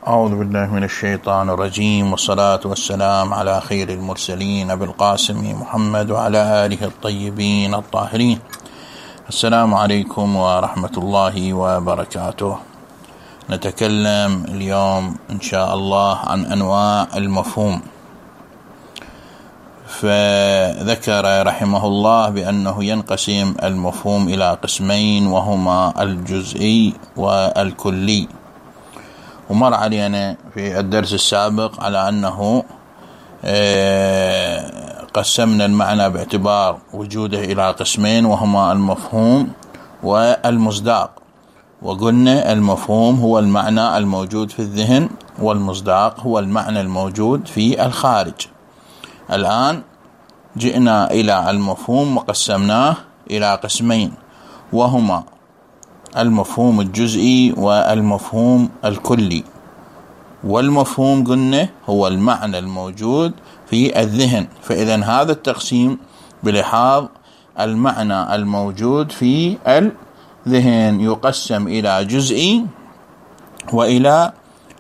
أعوذ بالله من الشيطان الرجيم، والصلاة والسلام على خير المرسلين أبي القاسم محمد وعلى آله الطيبين الطاهرين. السلام عليكم ورحمة الله وبركاته. نتكلم اليوم إن شاء الله عن أنواع المفهوم. فذكر رحمه الله بأنه ينقسم المفهوم إلى قسمين، وهما الجزئي والكلي. ومر علينا في الدرس السابق على أنه قسمنا المعنى باعتبار وجوده إلى قسمين، وهما المفهوم والمصداق. وقلنا المفهوم هو المعنى الموجود في الذهن، والمصداق هو المعنى الموجود في الخارج. الآن جئنا إلى المفهوم وقسمناه إلى قسمين، وهما المفهوم الجزئي والمفهوم الكلي. والمفهوم قلنا هو المعنى الموجود في الذهن، فإذا هذا التقسيم بلحاظ المعنى الموجود في الذهن يقسم إلى جزئي وإلى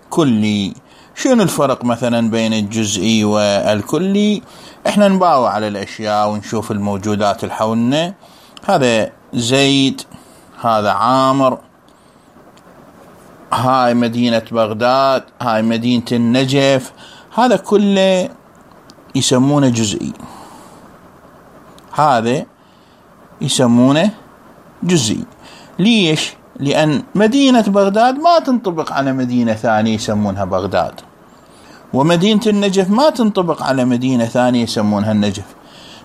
كلي. شنو الفرق مثلا بين الجزئي والكلي؟ احنا نباوع على الأشياء ونشوف الموجودات اللي حولنا. هذا زيد، هذا عامر، هاي مدينة بغداد، هاي مدينة النجف، هذا كله يسمونه جزئي. هذا يسمونه جزئي. ليش؟ لأن مدينة بغداد ما تنطبق على مدينة ثانية يسمونها بغداد، ومدينة النجف ما تنطبق على مدينة ثانية يسمونها النجف.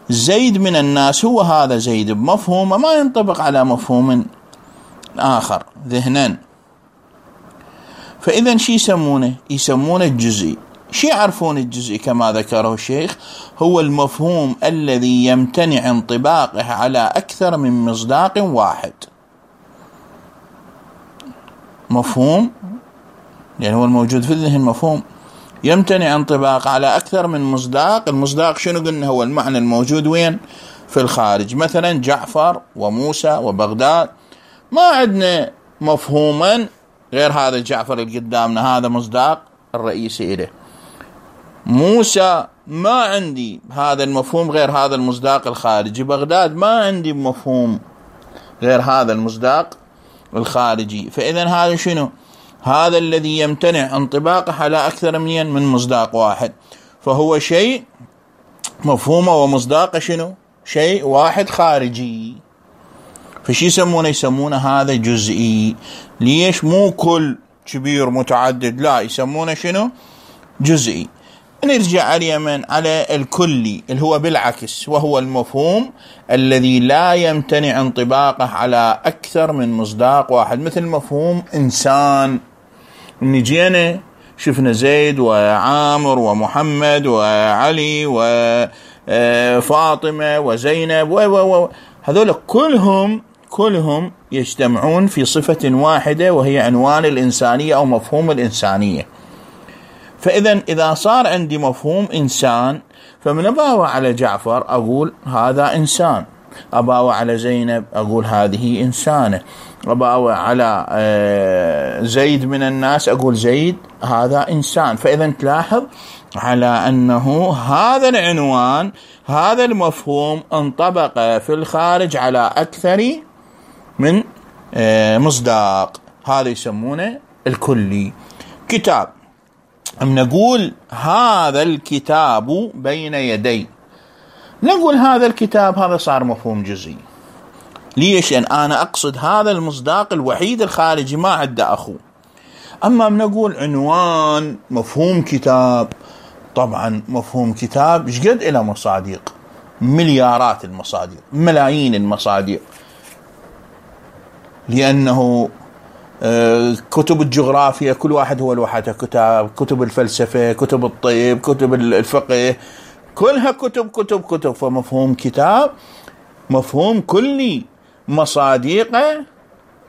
زيد من الناس هو هذا زيد بمفهوم ما ينطبق على مفهوم آخر ذهنا. فإذا شي يسمونه؟ يسمونه الجزئي. شي يعرفون الجزئي كما ذكره الشيخ؟ هو المفهوم الذي يمتنع انطباقه على أكثر من مصداق واحد. مفهوم يعني هو الموجود في الذهن مفهوم يمتنع انطباق على أكثر من مصداق. المصداق شنو قلنا؟ هو المعنى الموجود وين؟ في الخارج. مثلا جعفر وموسى وبغداد، ما عندنا مفهوما غير هذا جعفر اللي قدامنا، هذا مصداق الرئيسي إله. موسى ما عندي هذا المفهوم غير هذا المصداق الخارجي. بغداد ما عندي مفهوم غير هذا المصداق الخارجي. فإذا هذا شنو؟ هذا الذي يمتنع انطباقه على أكثر من مصداق واحد، فهو شيء مفهومه ومصداقه شنو؟ شيء واحد خارجي. فشي يسمونه؟ يسمونه هذا جزئي. ليش؟ مو كل كبير متعدد، لا، يسمونه شنو؟ جزئي. نرجع على اليمن على الكلي اللي هو بالعكس، وهو المفهوم الذي لا يمتنع انطباقه على أكثر من مصداق واحد. مثل مفهوم إنسان، نجينا شفنا زيد وعامر ومحمد وعلي وفاطمة وزينب هذول كلهم يجتمعون في صفة واحدة، وهي عنوان الإنسانية أو مفهوم الإنسانية. فإذا إذا صار عندي مفهوم إنسان، فمن أباوع على جعفر أقول هذا إنسان، أباوع على زينب أقول هذه إنسانة، أباوع على زيد من الناس أقول زيد هذا إنسان. فإذا تلاحظ على أنه هذا العنوان، هذا المفهوم انطبق في الخارج على أكثر من مصداق. هذا يسمونه الكلي. كتاب، نقول هذا الكتاب بين يدي، نقول هذا الكتاب، هذا صار مفهوم جزئي. ليش؟ أن أنا أقصد هذا المصداق الوحيد الخارجي، ما عنده أخوه. أما نقول عنوان مفهوم كتاب، طبعا مفهوم كتاب شقد إلى مصادق، مليارات المصادق، ملايين المصادق، لأنه كتب الجغرافيا كل واحد هو لوحده كتاب، كتب الفلسفة، كتب الطب، كتب الفقه، كلها كتب. فمفهوم كتاب مفهوم كلي، مصادقه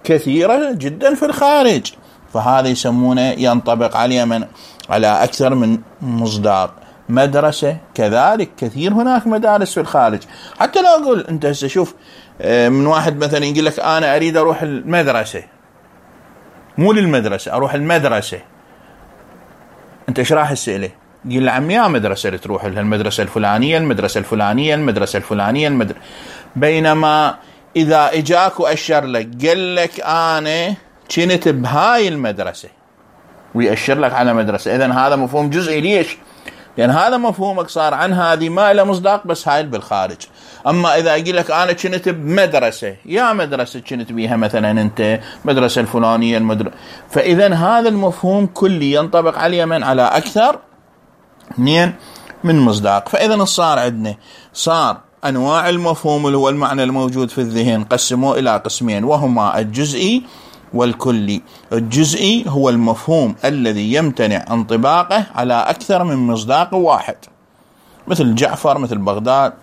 كثيرة جدا في الخارج، فهذا يسمونه ينطبق عليه على أكثر من مصداق. مدرسة كذلك، كثير هناك مدارس في الخارج. حتى لو أقول أنت هسه شوف، من واحد مثلا يقول لك أنا أريد أروح المدرسة، مو للمدرسة، أروح المدرسة، انت ايش راح تسأله؟ يقول له عمي يا مدرسة اللي تروح لها، المدرسة الفلانية المدرسة الفلانية المدرسة الفلانية بينما إذا إجاك وأشر لك قال لك أنا كنت بهاي المدرسة ويأشر لك على مدرسة، إذن هذا مفهوم جزئي. ليش؟ لأن هذا مفهومك صار عن هذه ما له مصداق، بس هاي بالخارج. أما إذا أقول لك أنا كنت بمدرسة، يا مدرسة كنت بيها مثلا أنت مدرسة الفلانية فإذن هذا المفهوم كلي ينطبق على من؟ على أكثر من مصداق. فإذن صار عندنا صار أنواع المفهوم اللي هو المعنى الموجود في الذهن قسموه إلى قسمين، وهما الجزئي والكلي. الجزئي هو المفهوم الذي يمتنع انطباقه على أكثر من مصداق واحد، مثل جعفر، مثل بغداد.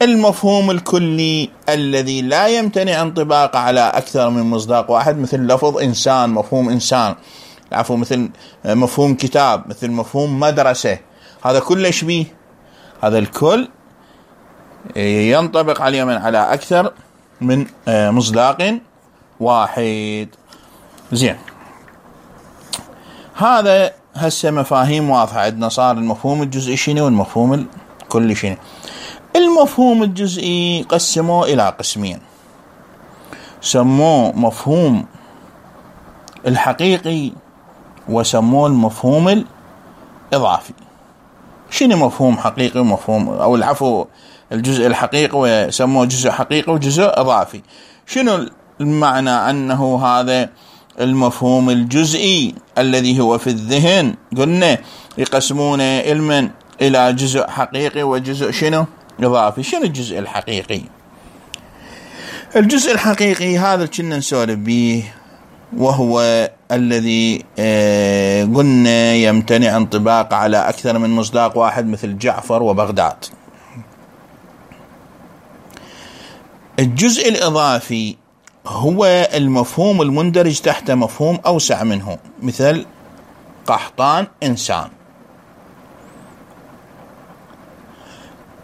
المفهوم الكلي الذي لا يمتنع انطباقه على أكثر من مصداق واحد، مثل لفظ إنسان، مفهوم إنسان، مثل مفهوم كتاب، مثل مفهوم مدرسة. هذا كله شبيه، هذا الكل ينطبق عليه من على أكثر من مصداق واحد. زين، هذا هسه مفاهيم واضحة عندنا. صار المفهوم الجزئي شنو والمفهوم الكلي شنو. المفهوم الجزئي قسموه إلى قسمين، سموه مفهوم الحقيقي وسموه المفهوم الإضافي. شنو مفهوم حقيقي ومفهوم أو العفو الجزء الحقيقي وسموه جزء حقيقي وجزء إضافي؟ شنو المعنى أنه هذا المفهوم الجزئي الذي هو في الذهن قلنا يقسمون علما إلى جزء حقيقي وجزء شنو إضافي. شنو الجزء الحقيقي؟ الجزء الحقيقي هذا كنا نسولف به، وهو الذي قلنا يمتنع انطباق على أكثر من مصداق واحد، مثل جعفر وبغداد. الجزء الإضافي هو المفهوم المندرج تحت مفهوم أوسع منه، مثل قحطان إنسان.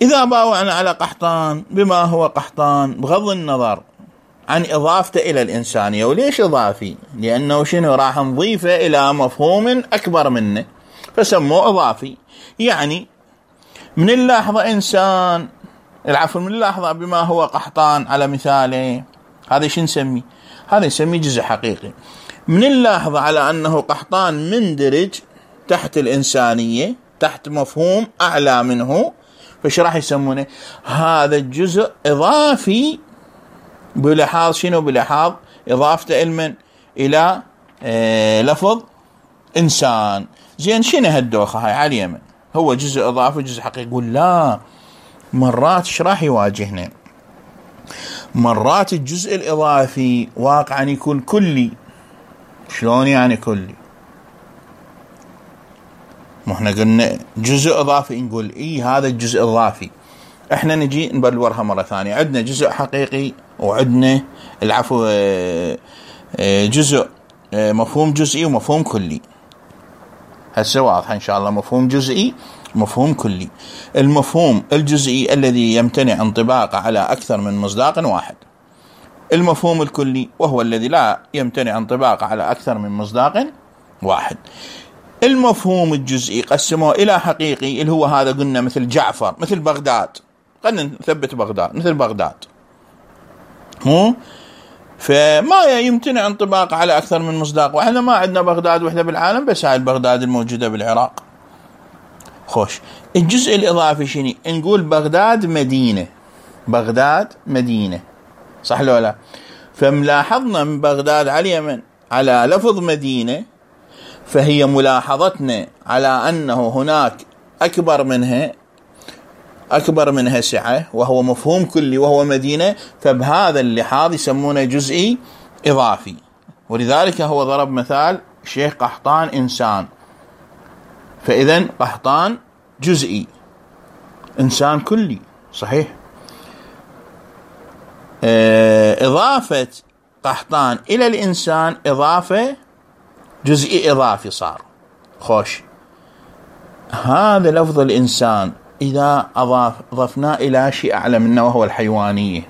إذا باوعنا على قحطان بما هو قحطان بغض النظر عن إضافته إلى الإنسانية. وليش إضافي؟ لأنه شنو راح نضيفه إلى مفهوم أكبر منه فسموه إضافي. يعني من اللحظة إنسان من اللحظة بما هو قحطان على مثاله، هذا شو نسميه؟ هذا نسميه جزء حقيقي. من اللحظة على أنه قحطان مندرج تحت الإنسانية، تحت مفهوم أعلى منه، فش راح يسمونه؟ هذا الجزء إضافي بلحاظ شنو؟ بلحاظ إضافته علما إلى لفظ إنسان. زين، شنو هالدوخة هاي على اليمن؟ هو جزء إضافي جزء حقيقي. يقول لا، مرات ايش راح يواجهنا؟ مرات الجزء الإضافي واقعا يكون كلي. شلون يعني كلي؟ ما احنا قلنا جزء إضافي، نقول هذا الجزء إضافي. احنا نجي نبلورها مرة ثانية. عندنا جزء حقيقي وعندنا جزء مفهوم جزئي ومفهوم كلي. هسه واضح ان شاء الله. مفهوم جزئي مفهوم كلي. المفهوم الجزئي الذي يمتنع انطباقه على أكثر من مصداق واحد. المفهوم الكلي وهو الذي لا يمتنع انطباقه على أكثر من مصداق واحد. المفهوم الجزئي قسموه إلى حقيقي اللي هو هذا قلنا مثل جعفر، مثل بغداد. خلينا نثبت بغداد، مثل بغداد فما يمتنع انطباقه على أكثر من مصداق واحد. ما عندنا بغداد وحدة بالعالم، بس هاي بغداد الموجودة بالعراق. خوش، الجزء الإضافي شنو؟ نقول بغداد مدينة، بغداد مدينة، صح لو لا؟ فملاحظنا من بغداد على اليمن على لفظ مدينة، فهي ملاحظتنا على أنه هناك أكبر منها سعة، وهو مفهوم كلي وهو مدينة. فبهذا اللحاظ يسمونه جزئي إضافي. ولذلك هو ضرب مثال شيخ قحطان إنسان، فإذن قحطان جزئي، إنسان كلي، صحيح. إضافة قحطان إلى الإنسان إضافة جزئي إضافي صار. خوش، هذا لفظ الإنسان إذا أضفنا إلى شيء أعلى منه وهو الحيوانية،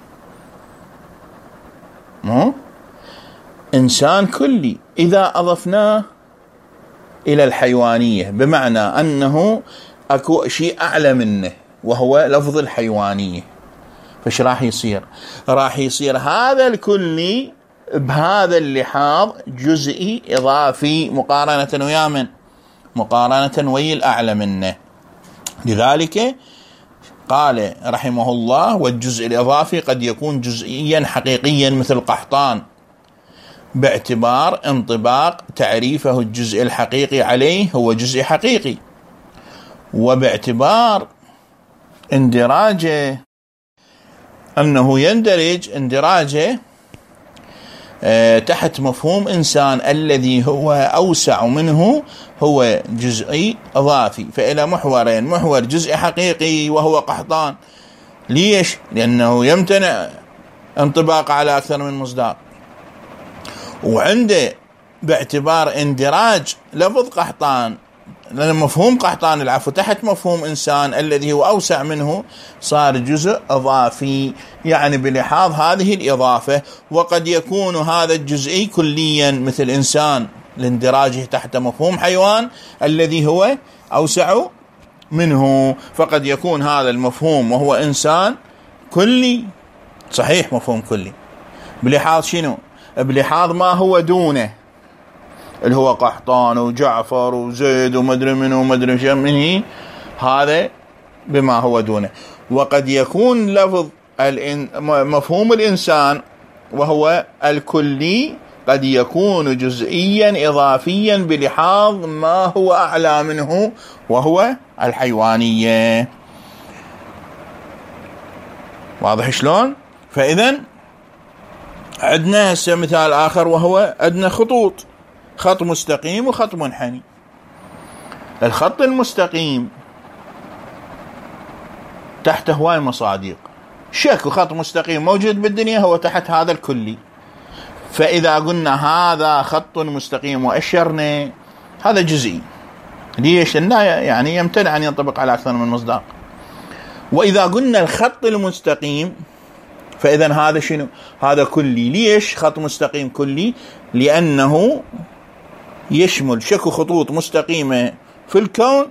إنسان كلي إذا أضفناه إلى الحيوانية، بمعنى أنه أكو شيء أعلى منه وهو لفظ الحيوانية. فش راح يصير؟ راح يصير هذا الكلي بهذا اللحاظ جزئي إضافي مقارنة ويا من؟ مقارنة ويا الأعلى منه. لذلك قال رحمه الله: والجزء الإضافي قد يكون جزئيا حقيقيا مثل قحطان، باعتبار انطباق تعريفه الجزء الحقيقي عليه هو جزء حقيقي، وباعتبار اندراجه أنه يندرج اندراجه تحت مفهوم إنسان الذي هو أوسع منه هو جزئي إضافي. فإلى محورين: محور جزء حقيقي وهو قحطان. ليش؟ لأنه يمتنع انطباق على أكثر من مصداق، وعنده باعتبار اندراج لفظ قحطان، لأن مفهوم قحطان العفو تحت مفهوم إنسان الذي هو أوسع منه صار جزء إضافي، يعني بلحاظ هذه الإضافة. وقد يكون هذا الجزئي كليا مثل إنسان لاندراجه تحت مفهوم حيوان الذي هو أوسع منه، فقد يكون هذا المفهوم وهو إنسان كلي، صحيح مفهوم كلي، بلحاظ شنو؟ بلحاظ ما هو دونه، اللي هو قحطان وجعفر وزيد ومدري منه ومدري شو منه، هذا بما هو دونه. وقد يكون لفظ مفهوم الإنسان وهو الكلي قد يكون جزئيا إضافيا بلحاظ ما هو أعلى منه وهو الحيوانية. واضح شلون؟ فإذن عندنا هسه مثال آخر، وهو عندنا خطوط، خط مستقيم وخط منحني. الخط المستقيم تحته هواي مصادق، شكو خط مستقيم موجود بالدنيا هو تحت هذا الكلي. فإذا قلنا هذا خط مستقيم وأشرنا، هذا جزئي. ليش؟ لأنه يعني يمتنع أن ينطبق على أكثر من مصداق. وإذا قلنا الخط المستقيم فإذا هذا شنو؟ هذا كلي. ليش خط مستقيم كلي؟ لأنه يشمل شكو خطوط مستقيمة في الكون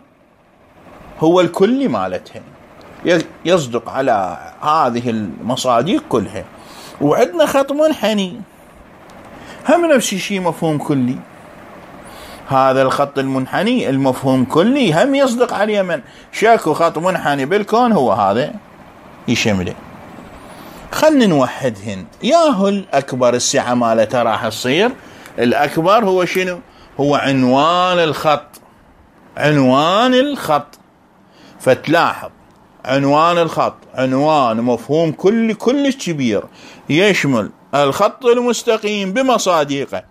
هو الكلي مالتها، يصدق على هذه المصادق كلها. وعندنا خط منحني هم نفس الشيء، مفهوم كلي. هذا الخط المنحني المفهوم كلي هم يصدق عليه من شكو خط منحني بالكون هو هذا يشمله. خلنا نوحدهن. ياهو الأكبر السعة مالته راح تصير الأكبر هو شنو؟ هو عنوان الخط. عنوان الخط، فتلاحظ عنوان الخط عنوان مفهوم كلي كلش كبير، يشمل الخط المستقيم بمصادقه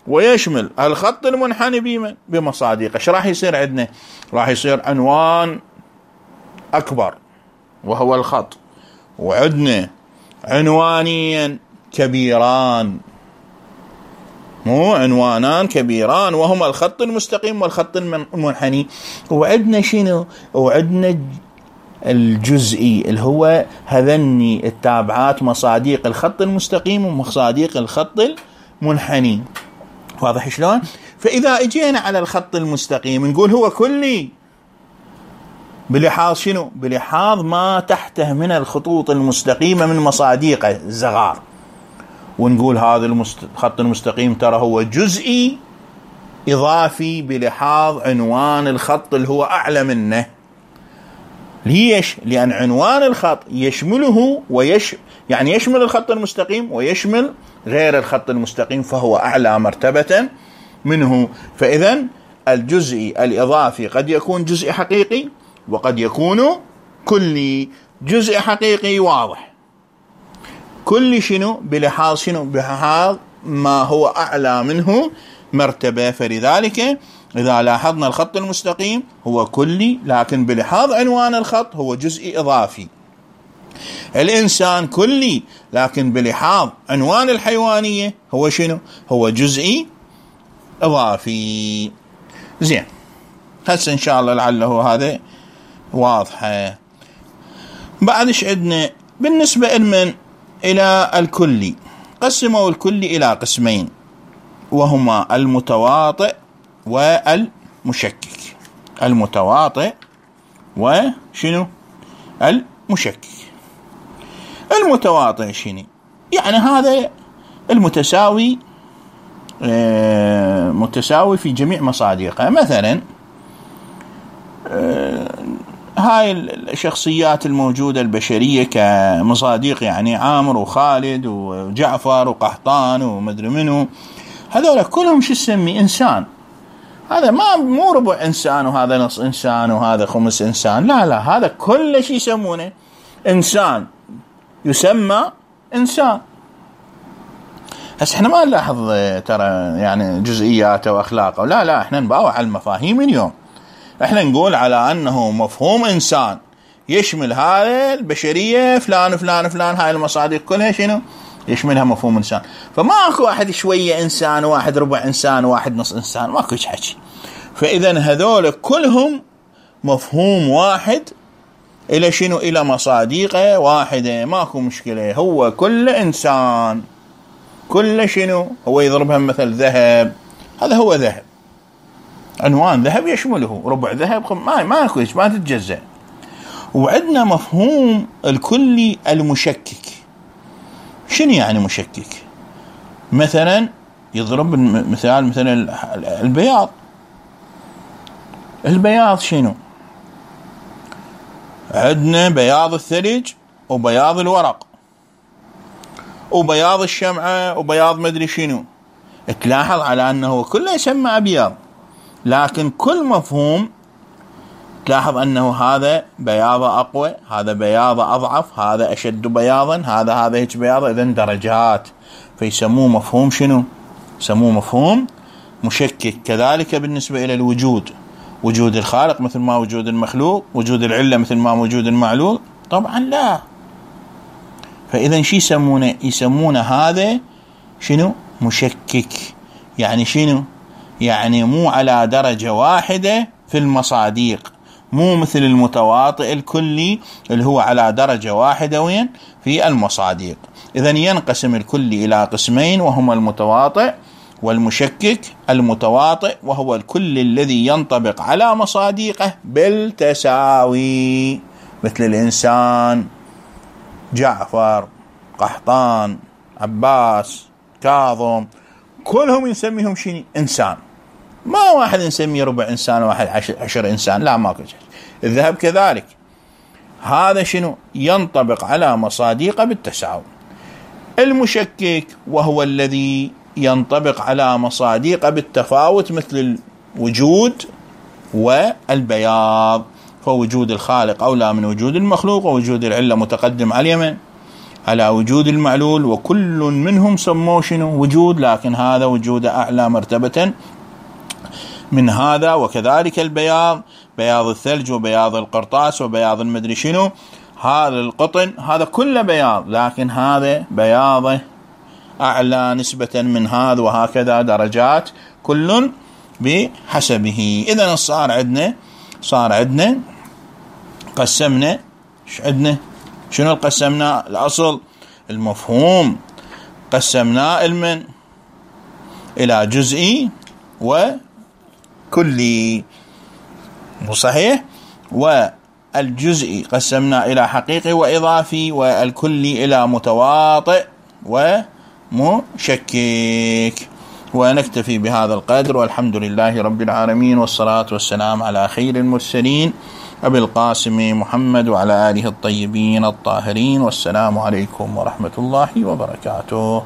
ويشمل الخط المنحني بمصادقه. ايش راح يصير عندنا؟ راح يصير عنوان أكبر وهو الخط، وعندنا عنوانين كبيران، مو عنوانان كبيران وهما الخط المستقيم والخط المنحني. وعندنا شنو؟ وعندنا الجزئي اللي هو هذني التابعات مصادق الخط المستقيم ومصادق الخط المنحني. واضح شلون؟ فإذا اجينا على الخط المستقيم نقول هو كلي بلحاظ شنو؟ بلحاظ ما تحته من الخطوط المستقيمة من مصادقه الزغار، ونقول هذا الخط المستقيم ترى هو جزئي إضافي بلحاظ عنوان الخط اللي هو أعلى منه. ليش؟ لأن عنوان الخط يشمله يعني يشمل الخط المستقيم ويشمل غير الخط المستقيم، فهو أعلى مرتبة منه. فإذن الجزئي الإضافي قد يكون جزء حقيقي وقد يكون كلي. جزء حقيقي واضح، كل شنو؟ بلحاظ شنو؟ بلحاظ ما هو أعلى منه مرتبة. فلذلك إذا لاحظنا الخط المستقيم هو كلي، لكن بلحاظ عنوان الخط هو جزئي إضافي. الإنسان كلي، لكن بلحاظ عنوان الحيوانية هو شنو؟ هو جزئي إضافي. زين، هسه إن شاء الله لعله هذا واضحة. بعدش عندنا بالنسبة إلى الكلي، قسموا الكلي إلى قسمين، وهما المتواطئ والمشكك. المتواطئ وشنو المشكك. المتواطئ شنو يعني؟ هذا المتساوي، متساوي في جميع مصادقه. مثلا هاي الشخصيات الموجودة البشرية كمصادق، يعني عامر وخالد وجعفر وقحطان ومدري منو، هذول كلهم شو تسمي؟ إنسان. هذا مو ربع إنسان وهذا نص إنسان وهذا خمس إنسان، لا، هذا كل شيء يسمونه إنسان، يسمى إنسان. هسه احنا ما نلاحظ ترى يعني جزئياته وأخلاقه، لا احنا نباوع على المفاهيم اليوم. احنا نقول على أنه مفهوم إنسان يشمل هذه البشرية فلان فلان فلان، هاي المصادق كلها شنو يشملها مفهوم إنسان. فما أكو واحد شوية إنسان، واحد ربع إنسان، واحد نص إنسان، ما أكو حكي. فإذا هذول كلهم مفهوم واحد، إلى شنو؟ إلى مصادقه واحدة، ماكو مشكلة. هو كل إنسان، كل شنو هو يضربها مثل ذهب، هذا هو ذهب، عنوان ذهب يشمله، ربع ذهب ما كويس، ما تتجزأ. وعندنا مفهوم الكلي المشكك. شنو يعني مشكك؟ مثلا يضرب مثال مثلا البياض. البياض شنو؟ عندنا بياض الثلج وبياض الورق وبياض الشمعة وبياض مدري شنو. تلاحظ على أنه كله يسمى أبيض، لكن كل مفهوم تلاحظ أنه هذا بياضه أقوى، هذا بياضه أضعف، هذا أشد بياضا، هذا هيك بياضه. إذن درجات، فيسموه مفهوم شنو؟ يسموه مفهوم مشكك. كذلك بالنسبة إلى الوجود، وجود الخالق مثل ما وجود المخلوق، وجود العلة مثل ما وجود المعلول، طبعا لا. فإذا شي يسمونه؟ يسمونه هذا شنو؟ مشكك. يعني شنو؟ يعني مو على درجة واحدة في المصادق، مو مثل المتواطئ الكلي اللي هو على درجة واحدة وين؟ في المصادق. إذن ينقسم الكلي إلى قسمين، وهما المتواطئ والمشكك. المتواطئ وهو الكل الذي ينطبق على مصادقه بالتساوي، مثل الإنسان، جعفر، قحطان، عباس، كاظم، كلهم نسميهم شنو؟ إنسان. ما واحد نسميه ربع إنسان وواحد 10 إنسان، لا، ماكو شيء. الذهب كذلك، هذا شنو؟ ينطبق على مصادقه بالتساوي. المشكك وهو الذي ينطبق على مصادقه بالتفاوت، مثل الوجود والبياض. فوجود الخالق أولى من وجود المخلوق، ووجود العلة متقدم على اليمن على وجود المعلول، وكل منهم سموه شنو؟ وجود، لكن هذا وجود أعلى مرتبة من هذا. وكذلك البياض، بياض الثلج وبياض القرطاس وبياض المدري شنو، هذا القطن، هذا كله بياض، لكن هذا بياضه أعلى نسبة من هذا، وهكذا درجات كل بحسبه. إذن صار عندنا قسمنا، عندنا شنو قسمنا؟ الأصل المفهوم قسمناه علما إلى جزئي وكلي، صحيح؟ والجزئي قسمناه إلى حقيقي وإضافي، والكلي إلى متواطئ ومشكك. ونكتفي بهذا القدر، والحمد لله رب العالمين، والصلاة والسلام على خير المرسلين أبي القاسم محمد وعلى آله الطيبين الطاهرين. والسلام عليكم ورحمة الله وبركاته.